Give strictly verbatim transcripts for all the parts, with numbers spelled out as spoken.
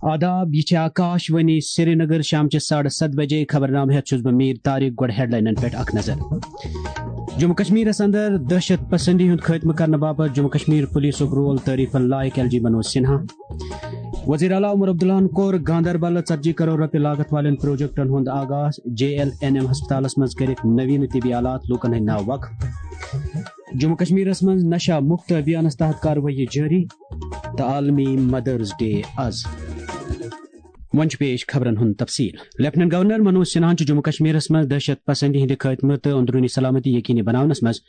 آداب، یہِ چھِ آکاش وانی سرینگر۔ شام چہِ ساڑٕ ستھ بجے خبرنامہٕ ہٮ۪تھ چھُس بہٕ میٖر طارق۔ گۄڈٕ ہیڈلاینن پٮ۪ٹھ اکھ نظر۔ جموں کشمیرس اندر دہشت پسندی ہُنٛد خٲتمہٕ کرنہٕ باپتھ جموں کشمیر پولیسُک رول تعریفن لایق، ایل جی منوج سنہا۔ وزیر اعلیٰ عمر عبداللہن کوٚر گاندربل ژتجی کرور رۄپیہِ لاگت والٮ۪ن پروجیکٹن ہُنٛد آغاز، جے ایل این ایم ہسپتالس منٛز کٔرِکھ نویٖن طبی آلات لوٗکن ہٕنٛدۍ ناو وقف۔ جموں کشمیرس منٛز نشہ مکت ابھیانس تحت کاروٲیی جٲری تہٕ عالمی مدرس ڈے از۔ وۄنۍ چھُ پیش خبرن ہُنٛد تفصیل۔ لیفٹیننٹ گورنر منوج سنہاہن چھُ جموں کشمیرس منٛز دہشت پسندی ہٕنٛدِ خٲتمہٕ تہٕ اندروٗنی سلامتی یقینی بناونس منٛز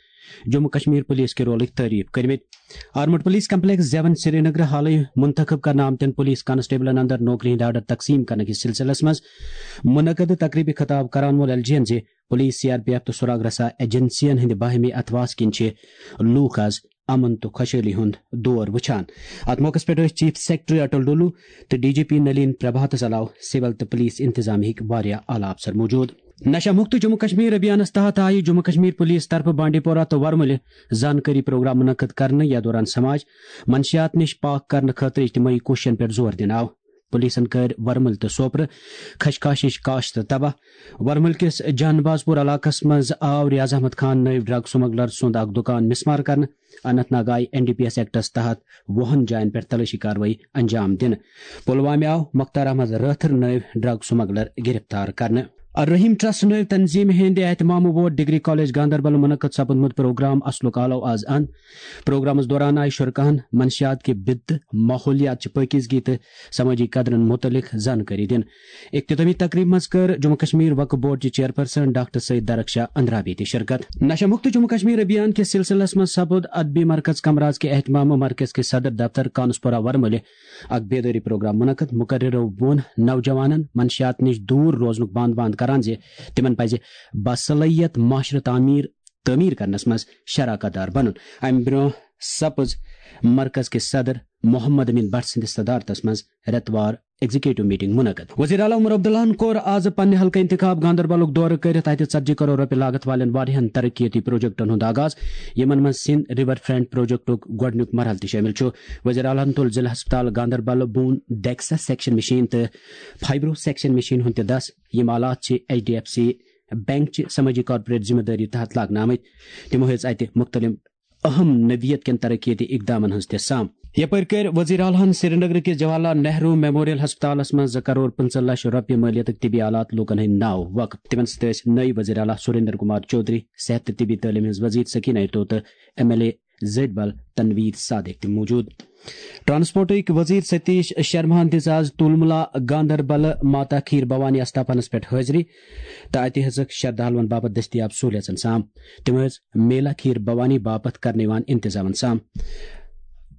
جموں کشمیر پولیس کہِ رولٕکۍ تعریف کٔرمٕتۍ۔ آرمڈ پولیس کمپلیکس زیون سرینگر حالٕے منتخب کرنہٕ آمتٮ۪ن پولیس کانسٹیبلن اندر نوکری ہٕنٛدۍ آرڈر تقسیٖم کرنہٕ کِس سلسلس منٛز منعقد تقریبہِ خطاب کران ووٚن ایل جی ین زِ police, C R P F تہٕ سراغ رسا ایجنسین ہٕنٛدِ باہمی اتھواس کِنۍ چھِ لوٗکھ از امن تہٕ خۄشحٲلی ہُنٛد دور وٕچھان۔ اتھ موقعس پٮ۪ٹھ ٲسۍ چیف سیکرٹری اٹل ڈولو تہٕ ڈی جی پی نلین پربھاتس علاوٕ سول تہٕ پولیس انتظامیہٕکۍ واریاہ اعلیٰ افسر موجود۔ نشہ مکت جموں کشمیر ابھیانس تحت آیہِ جموں کشمیر پولیس طرفہٕ بانڈی پورہ تہٕ ورمُلہِ زانکٲری پروگرام منعقد کرنہٕ، یتھ دوران سماج منشیات نِش پاک کرنہٕ خٲطرٕ اجتماعی کوٗششن پٮ۪ٹھ زور دِنہٕ آو۔ پولیسن کٔرۍ ورمُلۍ تہٕ سوپرٕ خشخاشٕچ کاشت تباہ۔ ورمُلۍ کِس جان بازپور علاقس منٛز آو ریاض احمد خان نٲوۍ ڈرگ سمگلر سُنٛد اکھ دُکان مسمار کرنہٕ۔ اننت ناگ آیہِ N D P S acts تحت وُہن جاین پٮ۪ٹھ تلٲشی کاروٲیی انجام دِنہٕ۔ پلوامہِ آو مختار احمد رٲتھر نٲوۍ ڈرگ سمگلر گرفتار کرنہٕ۔ الرحیم ٹرسٹ نٲوۍ تنظیمہِ ہٕنٛدِ اہتمامہٕ ووت ڈگری کالج گاندربل منعقد سپدمُت پروگرام اصلُک آلو از اند۔ پروگرامس دوران آیہِ شرکاہن منشیات کہِ بدعت، ماحولیات چہِ پٲکیزگی تہٕ سمٲجی قدرن متعلق زانکٲری دِنہٕ۔ اختتامی تقریبہِ منٛز کٔر جموں کشمیر وقف بورڈ چہِ چیئرپرسن ڈاکٹر سید درخشاہ اندرابی تہِ شرکت۔ نشہ مکت جموں کشمیر ابھیان کِس سلسلس منٛز سپُد ادبی مرکز کمراز کہِ اہتمامہٕ مرکز کِس صدر دفتر کانسپورہ ورمُلہِ اکھ بیدٲری پروگرام منعقد۔ مقررو ووٚن نوجوانن منشیات نِش دوٗر روزنُک باند باند کران زِ تِمن پزِ باصلٲحیت معاشرٕ تعمیٖر تعمیٖر کرنس منٛز شراکت دار بنُن۔ امہِ برونٛہہ سپٕز مرکز کِس صدر محمد امین بٹ سٕنٛدِس صدارتس منٛز رٮ۪تہٕ وار ایگزیکٹو میٹنگ منعقد۔ وزیر اعلیٰ عمر عبداللہن کوٚر آز پننہِ حلقہٕ انتخاب گاندربلُک دورٕ کٔرِتھ اتہِ ژتجی کرور رۄپیہِ لاگت والٮ۪ن واریاہن ترقیتی پروجیکٹن ہُنٛد آغاز، یِمن منٛز سِنٛد ریور فرنٹ پروجیکٹُک گۄڈٕنیُک مرحلہٕ تہِ شٲمِل چھُ۔ وزیر اعلیٰ ہن تُل ضلع ہسپتال Ganderbal bone DEXA section machine تہٕ فائبرو سیکشن مشین ہُنٛد تہِ دس۔ یِم آلات چھِ H D F C bank چہِ سمٲجی کارپوریٹ ذمہ دٲری تحت لاگنہٕ آمٕتۍ۔ تِمو ہیٚژ اتہِ مختلف اہم نوعیت کٮ۪ن ترقیتی اقدامن ہٕنٛز تہِ سام۔ یپٲرۍ کٔرۍ وزیر اعلیٰ ہن سرینگر کِس جواہر لال نہروٗ میموریل ہسپتالس منٛز زٕ کرور پٕنٛژٕہ لچھ رۄپیہِ مٲلیتٕکۍ طبی آلات لوٗکن ہٕنٛدۍ ناو وقف۔ تِمن سۭتۍ ٲسۍ نٔوۍ وزیر اعلیٰ سریندر کمار چودھری، صحت تہٕ طبی تعلیٖم ہٕنٛز وزیر سکینہ ایتو تہٕ ایم ایل اے زٔٹۍ بل تنویر صادق تہِ موجود۔ ٹرانسپورٹٕکۍ وزیر ستیش شرماہن دِژ آز تولملا گاندربل ماتا کھیر بھوانی استاپنس پٮ۪ٹھ حٲضری تہٕ اتہِ ہیٚژٕکھ شردھالون باپتھ دٔستیاب سہولیژن سام۔ تِم ٲسۍ میلا کھیر بھوانی باپتھ کرنہٕ یِوان انتظامن سام۔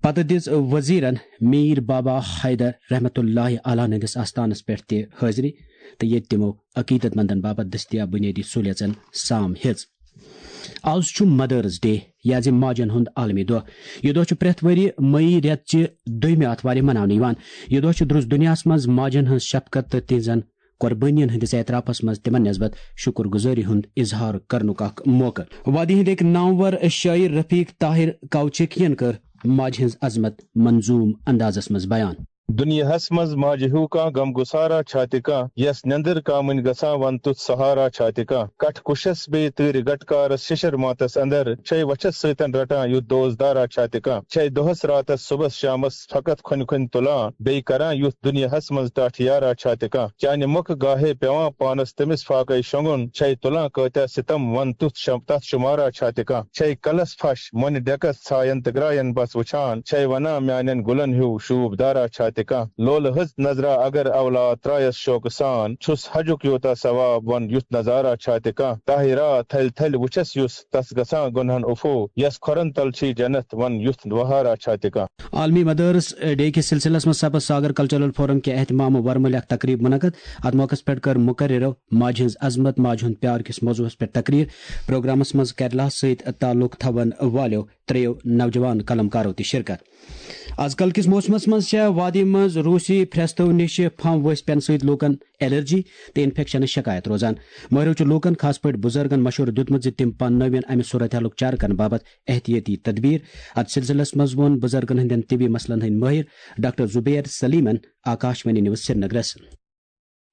پتہٕ دِژ وزیرن میر بابا حیدر رحمت اللہ علیہ ہٕنٛدِس آستانس پٮ۪ٹھ تہِ حٲضری تہٕ ییٚتہِ تِمو عقیدت مندن باپتھ دٔستیاب بنیٲدی سہولیژن سام ہیٚژ۔ آز چھُ مدرس ڈے، یعنی ماجن ہُنٛد عالمی دۄہ۔ یہِ دۄہ چھُ پرٛٮ۪تھ ؤرۍ مئی رٮ۪تہٕ چہِ دوٚیمہِ آتھوارِ مناونہٕ یِوان۔ یہِ دۄہ چھُ درُس دُنیاہَس منٛز ماجن ہٕنٛز شفقت تہٕ تِہنٛزن قۄربٲنین ہٕنٛدِس اعترافس منٛز تِمن نسبت شُکر گُزٲری ہُنٛد اظہار کرنُک اکھ موقعہٕ۔ وادی ہٕنٛدۍ أکۍ نامور شٲعر رفیق طاہر کاوچکین کٔر ماجہِ ہٕنٛز عظمت منظوم اندازس منٛز بیان۔ دُنیاہس منٛز ماجہِ ہیوٗ کانٛہہ غم گُسارا چھا تہِ کانٛہہ، یس نیندر کامٕنۍ گژھان ون تیُتھ سہارا چھا تہِ کانٛہہ۔ کٹھ کُشس بیٚیہِ تۭرِ گٹکارس شِشر ماتس اندر، چھے وچھس سۭتٮ۪ن رٹان یُتھ دوست دارا چھا تہِ کانٛہہ۔ چھے دۄہس راتس صبحس شامس فقط کھۄنہِ کھۄنہِ تُلان، بیٚیہِ کران یُتھ دُنیاہس منٛز ٹاٹھ یارا چھا تہِ کانٛہہ۔ چانہِ مۄکھٕ گاہے پٮ۪وان پانس تٔمِس فاقے شۄنٛگُن، چھے تُلان کٲتیاہ ستم ون تیُتھ شم-، تتھ شُمارا چھا تہِ کانٛہہ۔ چھے کلس پھش مۄنہِ ڈٮ۪کس ژھاین تہٕ گراین بس وٕچھان، چھے ونان میانٮ۪ن گُلن ہیوٗ شوٗب دارا چھا تہِ کانٛہہ۔ لولہٕ ہٕژ نظرا اگر اولاد ترایس شوقہٕ سان، چھُس حجُک یوٗتاہ ثواب ون یُتھ نظارا چھا تہِ کانٛہہ۔ طاہرا تھلۍ تھلۍ وٕچھس یُس تس گژھان گۄنہن عفو، یس کھۄرن تل چھی جنت ون یُتھ وہارا چھا تہِ کانٛہہ۔ عالمی مدرس ڈے کِس سلسلس منٛز سپز ساگر کلچرل فورم کہِ اہتمام ورمُلہِ اکھ تقریب منعقد۔ اتھ موقعس پٮ۪ٹھ کٔر مقررو ماجہِ ہٕنٛز عظمت، ماجہِ ہُنٛد پیار کِس موضوعس پٮ۪ٹھ تقریر۔ پروگرامس منٛز کیرلا سۭتۍ تعلق تھاون والیو ترٛیٚیو نوجوان قلمکارو تہِ شرکت۔ از کل کِس موسمس منٛز چھےٚ وادی منٛز روسی پھرٛستو نِش پھمب ؤسۍ پٮ۪نہٕ سۭتۍ لوٗکن الرجی تہٕ انفیکشنٕچ شکایت روزان۔ مٲہرو چھُ لوٗکن، خاص پٲٹھۍ بُزرگن، مشورٕ دیُتمُت زِ تِم پاننٲوِن امہِ صورتحالُک چارٕ کرنہٕ باپتھ احتیاطی تدبیر۔ اتھ سلسلس منٛز ووٚن بُزرگن ہٕنٛدٮ۪ن طبی مسلن ہٕنٛدۍ مٲہر ڈاکٹر زبیر سلیمن آکاشوانی نیوز سرینگرس۔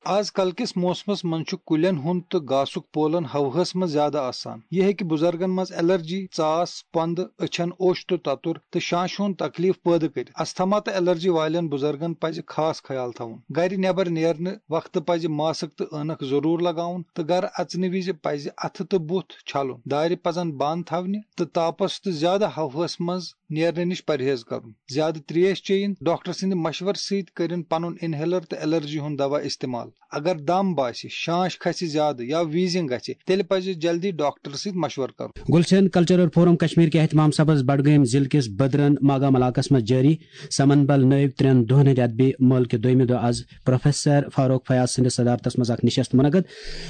آز کل کِس موسمس منٛز چھُ کُلٮ۪ن ہُنٛد تہٕ گاسُک پولن ہوہَس منٛز زیادٕ آسان۔ یہِ ہیٚکہِ بُزرگن منٛز الرجی، ژاس، پندٕ، أچھن اوٚش تہٕ تتُر تہٕ شانشہِ ہُنٛد تکلیف پٲدٕ کٔرِتھ۔ استھما تہٕ الرجی والٮ۪ن بُزرگن پزِ خاص خیال تھاوُن۔ گرِ نٮ۪بر نیرنہٕ وقتہٕ پزِ ماسک تہٕ عٲنکھ ضروٗر لگاوُن تہٕ گرٕ اژنہٕ وِزِ پزِ اتھٕ تہٕ بُتھ چھلُن۔ دارِ پزن بند تھاونہِ تہٕ تاپس تہٕ زیادٕ ہوہَس منٛز نیرنہٕ نِش پرہیز کرُن۔ زیادٕ تریش چیٚیِن۔ ڈاکٹر سٕنٛدِ مشورٕ سۭتۍ کٔرِن پنُن انہیلر تہٕ الرجی ہُنٛد دوا استعمال۔ اگر دم باسہِ، شانش کھسہِ زیادٕ یا ویٖزنگ گژھِ، تیٚلہِ پزِ جلدی ڈاکٹر سۭتۍ مشورٕ کرُن۔ گُلشن کلچرل فورم کشمیر کہِ اہتمام سبز بڈگٲمۍ ضلعہٕ کِس بدرن ماگام علاقس منٛز جٲری سمن بل نٲوۍ ترٛٮ۪ن دۄہن ہٕنٛدِ ادبی مٲلہٕ کہِ دوٚیمہِ دۄہ از پروفیسر فاروق فیاض سٕنٛدِس صدارتس منٛز اکھ نشست منعقد۔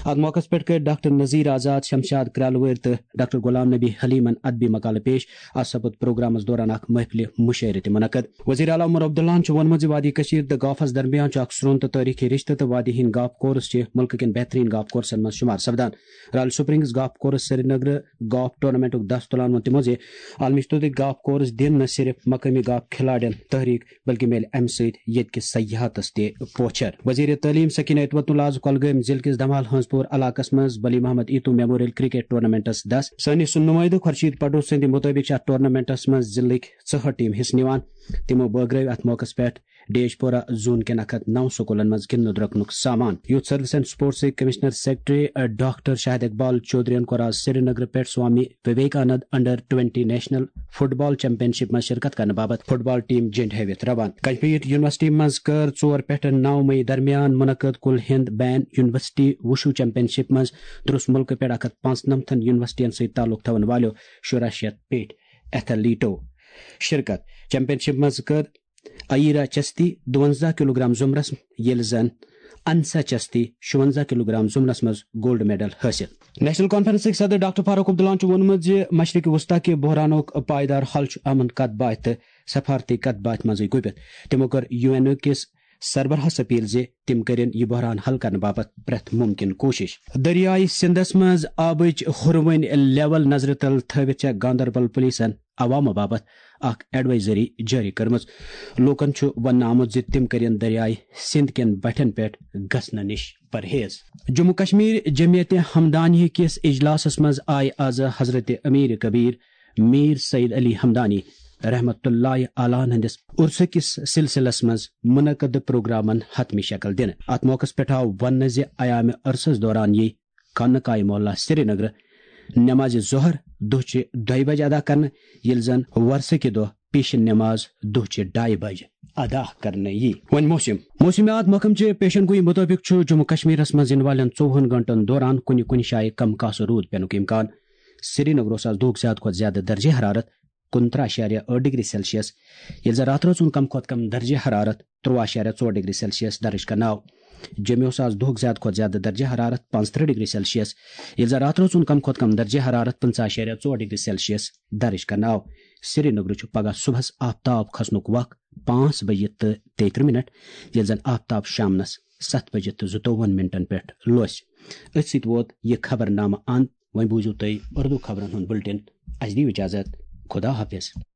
اتھ موقعس پٮ۪ٹھ کٔرۍ ڈاکٹر نذیر آزاد، شمشاد کرالوٲرۍ تہٕ ڈاکٹر غلام نبی حلیمن ادبی مقالہٕ پیش۔ اتھ سپُد پروگرامس دوران اکھ محفلِ مشٲعرٕ تہِ منعقد۔ وزیر اعلیٰ عمر عبداللہن چھُ ووٚنمُت زِ وادی کشیر تہٕ گافس درمیان چھُ اکھ سرٛون تہٕ تٲریخی رشتہٕ تہٕ وادی ہٕنٛدۍ گاف کورس چھِ مُلکہٕ کٮ۪ن بہترین گاف کورسن منٛز شمار سپدان۔ Royal springs golf course Srinagar golf ٹورنامنٹُک دس تُلان ووٚن تِمو زِ عالمی سطحُک گاف کورس دِن نہ صرف مقٲمی گاف کھلاڑٮ۪ن تحریک بلکہ میلہِ امہِ سۭتۍ ییٚتہِ کِس سیاحتس تہِ پوچھر۔ وزیر تعلیم سکینہ اتوت اللہ آز کۄلگٲمۍ ضلعہٕ کِس دمال ہنزپور علاقس منٛز بلی محمد ایتو میموریل کرکٹ ٹورنامنٹس دس۔ سٲنِس نُمٲیدٕ خورشید پڈو سٕنٛدِ مُطٲبِق چھِ اتھ ٹورنامنٹس منٛز ضلعٕکۍ ژُہٲٹھ ٹیم حصہٕ نِوان۔ تِمو بٲگرٲوۍ اتھ موقعس پٮ۪ٹھ ڈیش پورہ زون کٮ۪ن اکھ ہتھ نو سکوٗلن منٛز گِنٛدنہٕ درٛۄکنُک سامان۔ یوتھ سروس اینڈ سپورٹسٕکۍ commissioner secretary, doctor Shahid Iqbal چودھرین کوٚر آز سرینگرٕ پٮ۪ٹھ Swami Vivekanand under twenty national football championship منٛز شرکت کرنہٕ باپتھ فٹ بال ٹیم جنڈ ہٲوِتھ روانہٕ۔ کشمیر یونیورسٹی منٛز کٔر ژور پٮ۪ٹھ نو مئی درمیان منعقد کل ہند بین یونیورسٹی وُشو چیمپین شپ منٛز درس ملکہٕ پٮ۪ٹھ اکھ ہتھ پانٛژنمتھن یونیورسٹین سۭتۍ تعلق تھاون والٮ۪و شُراہ شیتھ پیٹھ ایتھلیٹو شرکت۔ چیمپین شپ منٛز کٔر ایرا چستی دُونزہ کلوگرام زمرس، ییٚلہِ زن انسا چستی شُونزہ کلوگرام زمرس منٛز گولڈ میڈل حٲصِل۔ نیشنل کانفرنسٕکۍ صدر ڈاکٹر فاروق عبداللہن چھُ ووٚنمُت زِ مشرق وسطی کہِ بحرانُک پائیدار حل چھُ امن کتھ باتھ تہٕ سفارتی کتھ باتھ منٛزٕے گُپِتھ۔ تِمو کٔر یو این او کِس سربراہس اپیل زِ تِم کٔرِن یہِ بحران حل کرنہٕ باپتھ پرٛٮ۪تھ مُمکِن کوٗشش۔ دٔریاے سِندس منٛز آبٕچ ہُروٕنۍ لیول نظرِ تل تھٲوِتھ چھےٚ گاندربل پُلیٖسن عوامہٕ باپتھ اکھ ایڈوائزری جٲری کٔرمٕژ۔ لوٗکن چھُ وننہٕ آمُت زِ تِم کٔرِن دٔریاے سِند کٮ۪ن بٹھٮ۪ن پٮ۪ٹھ گژھنہٕ نِش پرہیز۔ جموں کشمیر جمعیت ہمدانی کِس اجلاسس منٛز آیہِ از حضرت امیر کبیر میر سید علی ہمدانی رحمت اللہ علیہ ہٕنٛدِس عرسہٕ کِس سلسلس منٛز منعقد پروگرامن حتمی شکل دِنہٕ۔ اتھ موقعس پٮ۪ٹھ آو وننہٕ زِ ایام عرسس دوران یی خانہ کاہ محلہ سرینگر نماز ظہر دۄہ چہِ دۄیہِ بجہِ ادا کرنہٕ، ییٚلہِ زن وۄرسہٕ کہِ دۄہ پیشن نماز دۄہ چہِ ڈایہِ بجہِ ادا کرنہٕ یی۔ وۄنۍ موسم۔ موسمیات محکمہٕ چہِ پیشن گویی مُطٲبِق چھُ جموں کشمیرس منٛز یِنہٕ والٮ۪ن ژوٚوُہن گٲنٛٹن دوران کُنہِ کُنہِ جایہِ کم کاسہٕ روٗد پٮ۪نُک امکان۔ سرینگرس آز دۄہُک زیادٕ کھۄتہٕ زیادٕ درجہ حرارت کُنترٕہ اعشاریہ ٲٹھ ڈگری سیلسیس، ییٚلہِ زن راتھ رٲژ ہُنٛد کم کھۄتہٕ کم درجہ حرارت ترٛوٚوُہ اعشاریہ ژور ڈگری سیلسیس درج کرنہٕ آو۔ جوٚمہِ اوس آز دۄہُک زیادٕ کھۄتہٕ زیادٕ درجہ حرارت پانٛژترٕہ ڈگری سیلسیس، ییٚلہِ زن راتھ رٲژ ہُنٛد کم کھۄتہٕ کم درجہ حرارت پٕنٛژٕہ اعشاریہ ژور ڈگری سیلسیس درج کرنہٕ آو۔ سرینگرٕ چھُ پگہہ صبحس آفتاب کھسنُک وق پانٛژھ بجہِ تہٕ تیٚیہِ ترٕٛہ منٹ، ییٚلہِ زن آفتاب شامنس ستھ بجہِ تہٕ زٕتووُہن منٹن پٮ۪ٹھ لوسہِ۔ أتھۍ سۭتۍ ووت یہِ خبرنامہٕ اند۔ وۄنۍ بوٗزِو تُہۍ اردو خبرن ہُنٛد بُلٹن۔ اسہِ دِیِو اجازت۔ خدا حافظ۔